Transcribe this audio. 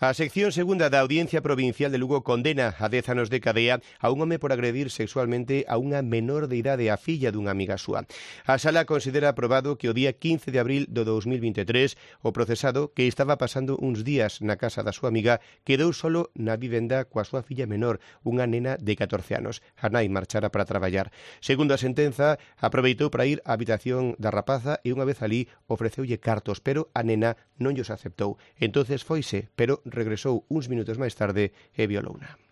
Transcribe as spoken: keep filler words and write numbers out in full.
A sección segunda da Audiencia Provincial de Lugo condena a dez anos de cadea a un home por agredir sexualmente a unha menor de idade, a filla dunha amiga súa. A sala considera aprobado que o día quince de abril do dous mil vinte e tres o procesado, que estaba pasando uns días na casa da súa amiga, quedou solo na vivenda coa súa filla menor, unha nena de catorce anos. A nai marchara para traballar. Segundo a sentenza, aproveitou para ir á habitación da rapaza e unha vez alí ofreceulle cartos, pero a nena non llos aceptou. Entonces foise, pero regresou uns minutos máis tarde e violouna.